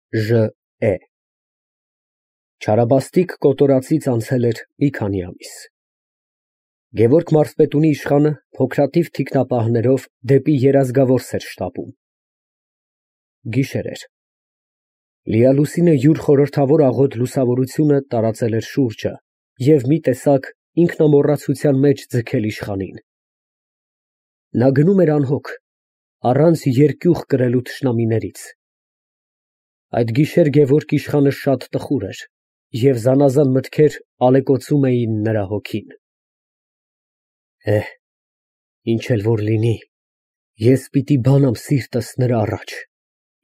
Ժ.Է. Չարաբաստիկ կոտորածից անցել էր մի քանի ամիս։ Գևորգ մարզպետունի իշխանը փոքրաթիվ թիկնապահներով դեպի Երազգավորս էր շտապում։ Գիշեր էր։ Լիալուսինը յուր խորհրդավոր աղոտ լուսավորությունը տարածել էր շուրջը և մի տեսակ ինքնամոռացության մեջ ձգել իշխանին։ Նա գնում էր անհոգ, առանց երկյուղ կրելու թշնամիներից։ Այդ գիշեր Գևորգ իշխանը շատ տխուր էր, և զանազան մտքեր ալեկոծում էին նրա հոգին։ Ինչ էլ որ լինի, ես պիտի բանամ սիրտս նրա առաջ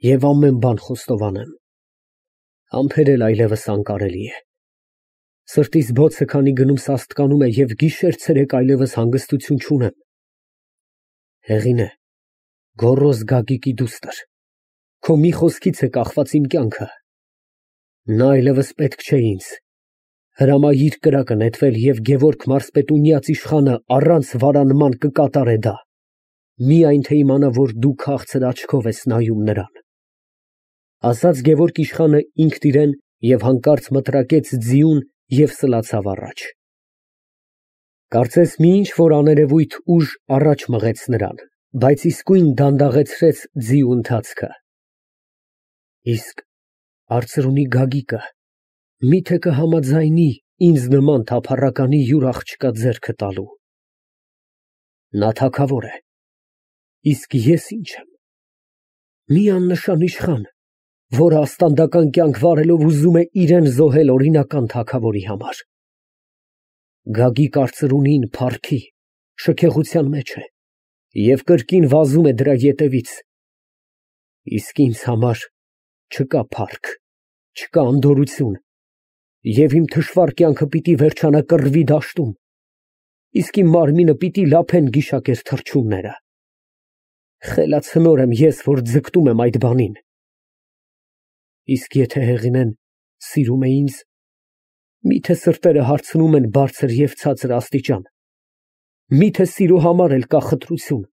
և ամեն բան խոստովանեմ։ Համբերել այլևս անկարելի է։ Սրտիս բոցը քանի գնում սաստկանում է և գիշեր֊ցերեկ այլևս հանգստություն չունեմ։ Հեղինե, գոռոզ Գագիկի դուստր, քո մի խոսքից է կախված իմ կյանքը։ Նա այլևս պետք չէ ինձ։ Հրամայիր կրակը նետվել և Գևորգ մարզպետունյաց իշխանը առանց վարանման կկատարե դա, միայն թե իմանա, որ դու քաղցր աչքով ես նայում նրան։ Ասաց Գևորգ իշխանը ինքն իրան և հանկարծ մտրակեց ձիուն և սլացավ առաջ։ Կարծես մի ինչ֊որ աներևույթ ուժ առաջ մղեց նրան, բայց իսկույն դանդաղեցրեց ձիու ընթացքը։ Իսկ արծրունի Գագիկը մի՞թե կհամաձայնի ինձ նման թափառականի յուր աղջկա ձեռքը տալու։ Նա թագավոր է, իսկ ես ի՞նչ եմ։ Մի աննշան իշխան, որը աստանդական կյանք վարելով ուզում է իրան զոհել օրինական թագավորի համար։ Գագիկ արծրունին փառքի, շքեղության մեջ է և կրկին վազում է դրա ետևից։ Իսկ ինձ համար չկա փառք, չկա անդորրություն, և իմ թշվառ կյանքը պիտի վերջանա կռվի դաշտում, իսկ իմ մարմինը պիտի լափեն գիշակեր թռչունները։ Խելացնոր եմ ես, որ ձգտում եմ այդ բանին։ Իսկ եթե Հեղինեն սիրում է ինձ, մի՞թե սրտերը հարցնում են բարձր և ցածր աստիճան, մի՞թե սիրո համար էլ կա խտրություն։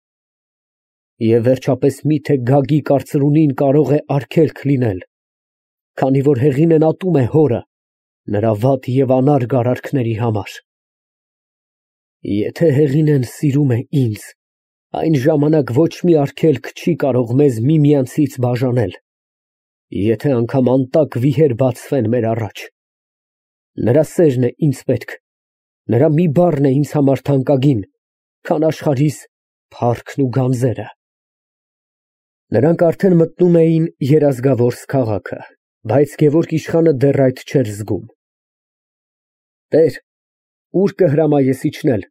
Եվ վերջապես մի՞թե Գագիկ արծրունին կարող է արգելք լինել, քանի որ Հեղինեն ատում է հորը նրա վատ և անարգ արարքների համար։ Եթե Հեղինեն սիրում է ինձ, այն ժամանակ ոչ մի արգելք չի կարող մեզ միմյանցից բաժանել, եթե անգամ անտակ վիհեր բացվեն մեր առաջ։ Նրա սերն է ինձ պետք, նրա մի բառն է ինձ համար թանկագին, քան աշխարհիս փառքն ու գանձերը։ Նրանք արդեն մտնում էին Երազգավորս քաղաքը, բայց Գևորգ իշխանը դեռ այդ չէր զգում։ Տեր, ուր կհրամայես իջնել,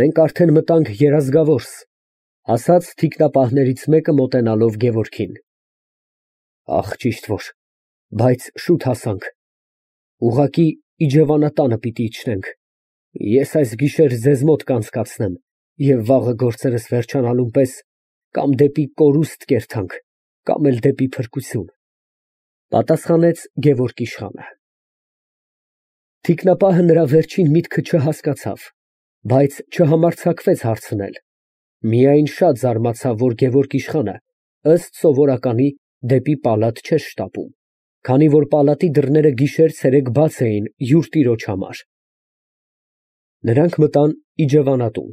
մենք արդեն մտանք Երազգավորս, ասաց թիկնապահներից մեկը մոտենալով Գևորգին։ Ճիշտ որ, բայց շուտ հասանք, ուղղակի իջևանատանը պիտի իջնենք, ես այս գիշեր ձեզ մոտ կանցկացնեմ և վաղը գործերս վերջանալուն պես կամ դեպի կորուստ կերթանք, կամ էլ դեպի փրկություն, պատասխանեց Գևորգ իշխանը։ Թիկնապահը նրա վերջին միտքը չհասկացավ, բայց չհամարձակվեց հարցնել, միայն շատ զարմացավ, որ Գևորգ իշխանը ըստ սովորականի դեպի պալատ չէր շտապում, քանի որ պալատի դռները գիշեր֊ցերեկ բաց էին յուր տիրոջ համար։ Նրանք մտան իջևանատուն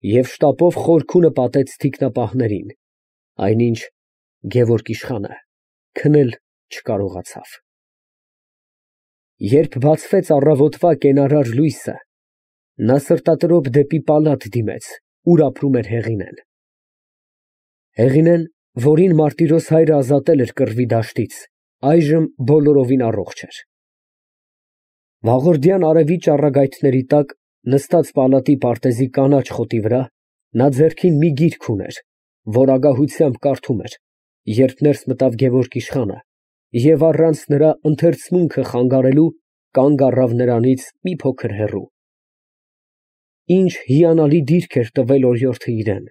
և շտապով խորքունը պատեց թիկնապահներին, այնինչ Գևորգ իշխանը քնել չկարողացավ։ Երբ բացվեց առավոտվա կենարար լույսը, նա սրտատրոփ դեպի պալատ դիմեց, ուր ապրում էր Հեղինեն։ Հեղինեն, որին մարտիրոս հայրը ազատել էր կռվի դաշտից, այժմ բոլորովին առողջ էր։ Վաղորդյան արևի ճառագայթների տակ, նստած պալատի պարտեզի կանաչ խոտի վրա, նա ձեռքին մի գիրք ուներ, որ ագահությամբ կարդում էր, երբ ներս մտավ Գևորգ իշխանը և առանց նրա ընթերցմունքը խանգարելու կանգ առավ նրանից մի փոքր հեռու։ Ինչ հիանալի դիրք էր տվել օրիորդը իրան։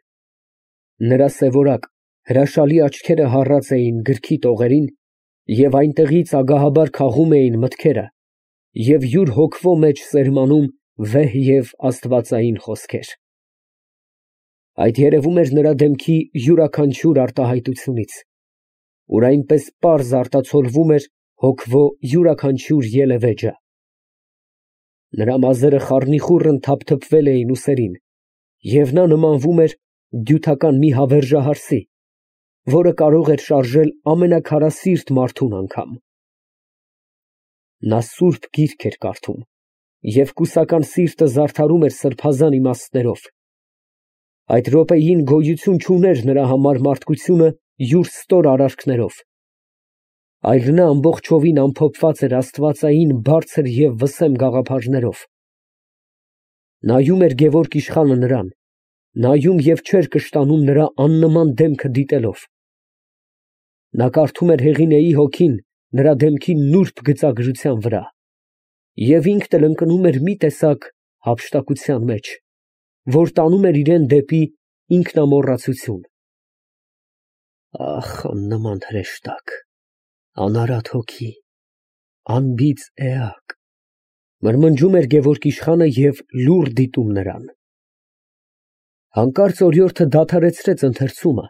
Նրա սևորակ, հրաշալի աչքերը հառած էին գրքի տողերին և այնտեղից ագահաբար քաղում էին մտքերը և յուր հոգվո մեջ սերմանում վեհ և աստվածային խոսքեր։ Այդ երևում էր նրա դեմքի յուրաքանչյուր արտահայտությունից։ որ այնպես պարզ արտացոլվում էր հոգվո յուրաքանչյուր ելևէջը։ Նրա մազերը խառնիխուռն թափթփվել էին ուսերին, և նա նմանվում էր դյութական մի հավերժահարսի, որը կարող էր շարժել ամենաքարասիրտ մարդուն անգամ։ Նա սուրբ գիրք էր կարդում, և կուսական սիրտը զարդարում էր սրբազան իմաստներով։ Այդ րոպեին գոյություն չուներ նրա համար մարդկությունը յուր ստոր արարքներով, այլ նա ամբողջովին ամփոփված էր աստվածային բարձր և վսեմ գաղափարներով։ Նայում էր Գևորգ իշխանը նրան, նայում և չէր կշտանում նրա աննման դեմքը դիտելով։ Նա կարդում էր Հեղինեի հոգին նրա դեմքի նուրբ գծագրության վրա, և ինքն էլ ընկնում էր մի տեսակ հափշտակության մեջ, որ տանում էր իրան դեպի ինքնամոռացություն։ Ահ, աննման հրեշտակ, անարատ հոգի, անբիծ էակ, մրմնջում էր Գևորգ իշխանը և լուռ դիտում նրան։ Հանկարծ օրիորդը դադարեցրեց ընթերցումը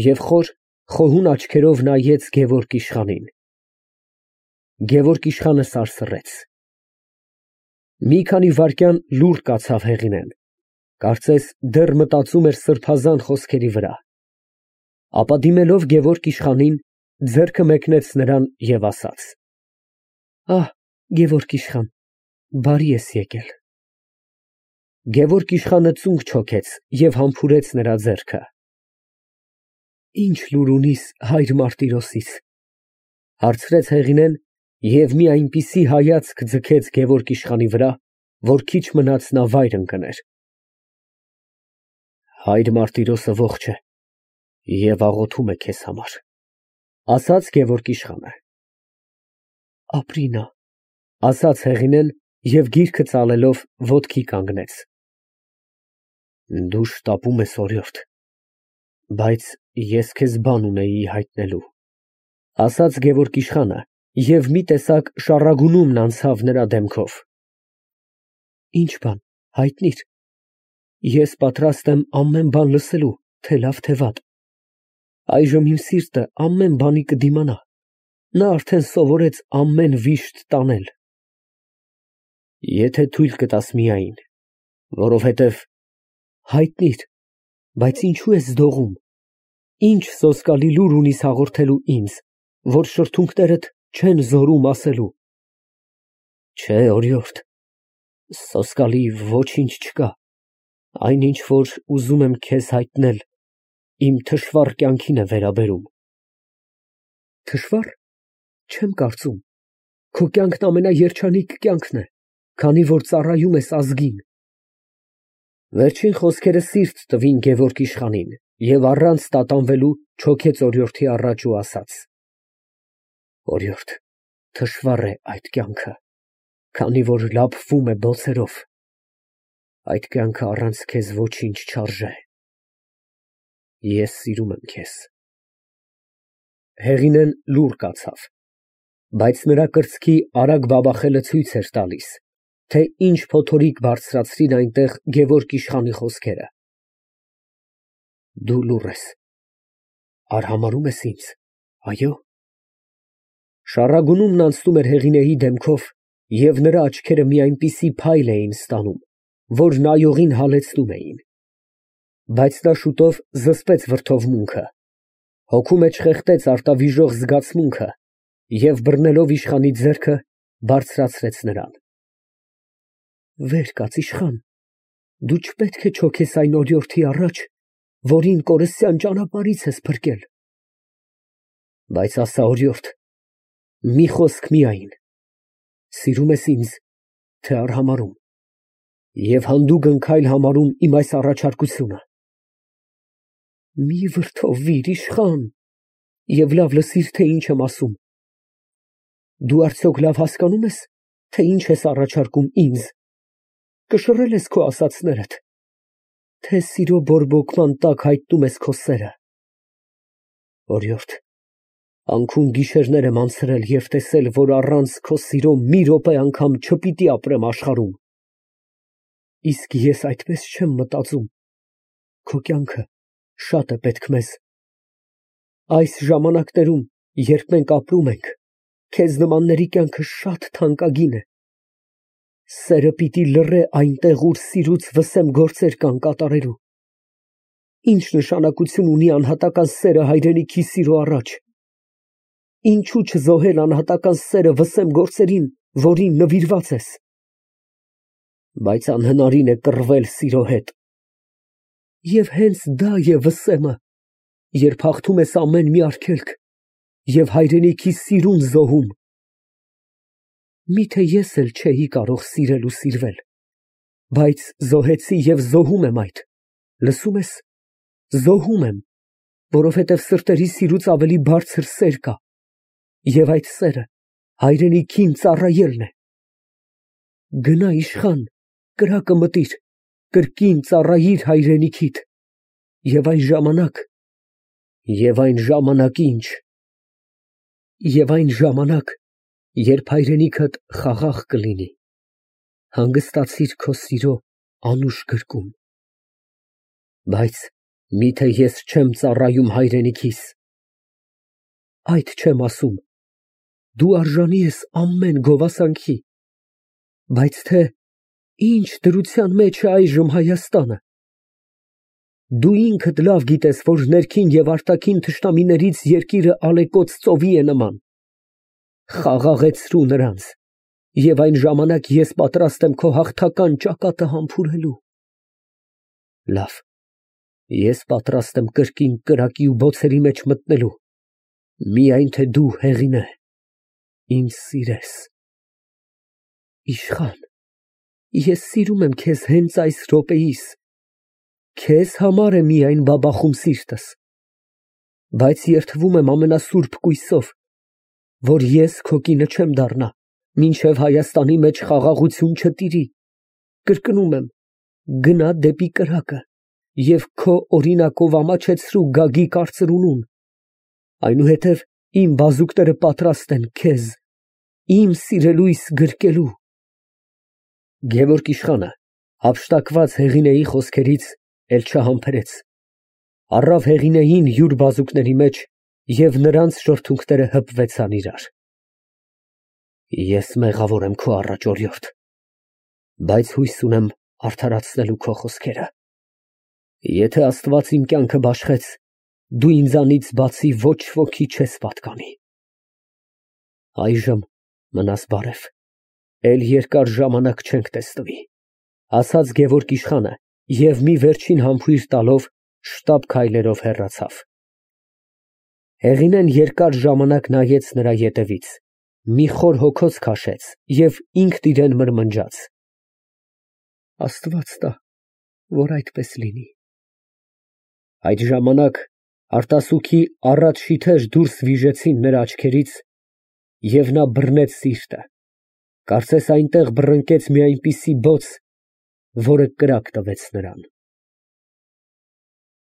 և խոր, խոհուն աչքերով նայեց Գևորգ իշխանին։ Գևորգ իշխանը սարսռեց։ Մի քանի վայրկյան լուռ կացավ Հեղինեն, կարծես դեռ մտածում էր սրբազան խոսքերի վրա, ապա դիմելով Գևորգ իշխանին, ձեռքը մեկնեց նրան և ասաց. Գևորգ իշխան, բարի ես եկել։ Գևորգ իշխանը ծունկ չոքեց և համբուրեց նրա ձեռքը։ Ի՞նչ լուր ունիս հայր Մարտիրոսից, հարցրեց Հեղինեն և մի այնպիսի հայացք ձգեց Գևորգ իշխանի վրա, որ քիչ մնաց նա վայր ընկներ։ Հայր Մարտիրոսը ողջ է և աղոթում է քեզ համար, ասաց Գևորգ իշխանը։ Ապրի նա, ասաց Հեղինեն և գիրքը ծալելով ոտքի կանգնեց։ Դու շտապում ես, օրիորդ, բայց ես քեզ բան ունեի հայտնելու, ասաց Գևորգ իշխանը և մի տեսակ շառագունումն անցավ նրա դեմքով։ Ինչ բան, հայտնի՛ր, ես պատրաստ եմ ամեն բան լսելու, թե լավ, թե վատ։ Այժմ իմ սիրտը ամեն բանի կդիմանա, նա արդեն սովորեց ամեն վիշտ տանել։ Եթե թույլ կտաս միայն, որովհետև հայտնի՛ր, բայց ինչո՞ւ ես դողում, ինչ սոսկալի լուր ունիս հաղորդելու ինձ, որ շրթունքներդ չեն զորում ասելու։ Չէ, օրիորդ, սոսկալի ոչինչ չկա, այնինչ, որ ուզում եմ քեզ հայտնել, իմ թշվառ կյանքին է վերաբերում։ Թշվա՞ռ, չեմ կարծում, քո կյանքն ամենաերջանիկ կյանքն է, քանի որ ծառայում ես ազգին։ Վերջին խոսքերը սիրտ տվին Գևորգ իշխանին, և առանց տատանվելու չոքեց օրիորդի առաջ ու ասաց. Օրիորդ, թշվառ է այդ կյանքը, քանի որ լափվում է բոցերով։ Այդ կյանքը առանց քեզ ոչինչ չարժե։ Ես սիրում եմ քեզ։ Հեղինեն լուռ կացավ, բայց նրա կրծքի արագ բաբախելը ցույց էր տալիս, թե ինչ փոթորիկ բարձրացրին այնտեղ Գևորգ իշխանի խոսքերը։ Դու լուռ ես, արհամարհո՞ւմ ես ինձ, այո։ Շառագունումն անցնում էր Հեղինեի դեմքով, և նրա աչքերը մի այնպիսի փայլ էին ստանում, որ նայողին հալեցնում էին։ Բայց նա շուտով զսպեց վրդովմունքը, հոգու մեջ խեղդեց արտավիժող զգացմունքը և բռնելով իշխանի ձեռքը, բարձրացրեց նրան։ Վեր կաց, իշխան, դու չպետք է չոքես այն օրիորդի առաջ, որին կորստյան ճանապարհից ես փրկել։ Բայց ասա, օրիորդ, մի խոսք միայն, սիրում ես ինձ, թե արհամարհում, և հանդուգն քայլ համարում իմ այս առաջարկությունը։ Մի վրդովվիր, իշխան, և լավ լսիր, թե ինչ եմ ասում։ Դու արդյոք լավ հասկանում ես, թե ինչ ես առաջարկում ինձ, կշռե՞լ ես քո ասածներդ, թե սիրո բորբոքման տակ հայտնում ես քո սերը։ Օրիորդ, անքուն գիշերներ եմ անցրել և տեսել, որ առանց քո սիրո մի րոպե անգամ չպիտի ապրեմ աշխարհում։ Իսկ ես այդպես չեմ մտածում, քո կյանքը շատ է պետք մեզ։ Այս ժամանակներում երբ մենք ապրում ենք, քեզ նմանների կյանքը շատ թանկագին է։ Սերը պիտի լռե այնտեղ, ուր սիրուց վսեմ գործեր կան կատարելու։ Ինչ նշանակություն ունի անհատական սերը հայրենիքի սիրո առաջ։ Ինչու չզոհել անհատական սերը վսեմ գործերին, որին նվիրված ես։ Բայց անհնարին է կռվել սիրո հետ։ Եվ հենց դա է վսեմը, երբ հաղթում ես ամեն մի արգելք և հայրենիքի սիրուն զոհում։ Միթե ես էլ չէի կարող սիրել ու սիրվել, բայց զոհեցի և զոհում եմ այդ, լսում ես, զոհում եմ, որովհետև սրտերի սիրուց ավելի բարձր սեր կա, և այդ սերը հայրենիքին ծառայելն է։ Գնա իշխան, կրակը մտիր, կրկին ծառայիր հայրենիքիդ, և այն ժամանակ, երբ հայրենիքդ խաղաղ կլինի, հանգստացիր քո սիրո անուշ գրկում։ Բայց միթե ես չեմ ծառայում հայրենիքիս։ Այդ չեմ ասում, դու արժանի ես ամեն գովասանքի, բայց թե ինչ դրության մեջ է այժմ Հայաստանը։ Դու ինքդ լավ գիտես, որ ներքին և արտաքին թշնամիներից երկիրը ալեկոծ ծովի է նման։ Խաղաղեցրու նրանց, և այն ժամանակ ես պատրաստ եմ քո հաղթական ճակատը համբուրելու։ Լավ, ես պատրաստ եմ կրկին կրակի ու բոցերի մեջ մտնելու, միայն թե դու, Հեղինե, ինձ սիրես։ Իշխան, ես սիրում եմ քեզ հենց այս րոպեիս, քեզ համար է միայն բաբախում սիրտս, բայց երդվում եմ ամենասուրբ կույսով, որ ես քո կինը չեմ դառնա, մինչև Հայաստանի մեջ խաղաղություն չտիրի։ Կրկնում եմ, գնա դեպի կրակը և քո օրինակով ամաչեցրու Գագիկ կարծրունուն, այնուհետև իմ բազուկները պատրաստ են քեզ, իմ սիրելույս գրկելու։ Գևորգ իշխանը հափշտակված Հեղինեի խոսքերից էլ չհամբերեց, առավ Հեղինեին յուր բազուկների մեջ և նրանց շրթունքները հպվեցան իրար։ Ես մեղավոր եմ քո առաջ, օրիորդ, բայց հույս ունեմ արդարացնելու քո խոսքերը։ Եթե Աստված իմ կյանքը բաշխեց, դու ինձանից բացի ոչ ոքի չես պատկանի։ Այժմ մնաս բարև, էլ երկար ժամանակ չենք տեսնվի, ասաց Գևորգ իշխանը և մի վերջին համբույր տալով շտապ քայլերով հեռացավ։ Հեղինեն երկար ժամանակ նայեց նրա ետևից, մի խոր հոգոց քաշեց և ինքն իրան մրմնջաց. Աստված տա, որ այդպես լինի։ Այդ ժամանակ արտասուքի առատ շիթեր դուրս վիժեցին նրա աչքերից, և նա բռնեց սիրտը, կարծես այնտեղ բռնկեց մի այնպիսի բոց, որը կրակ տվեց նրան։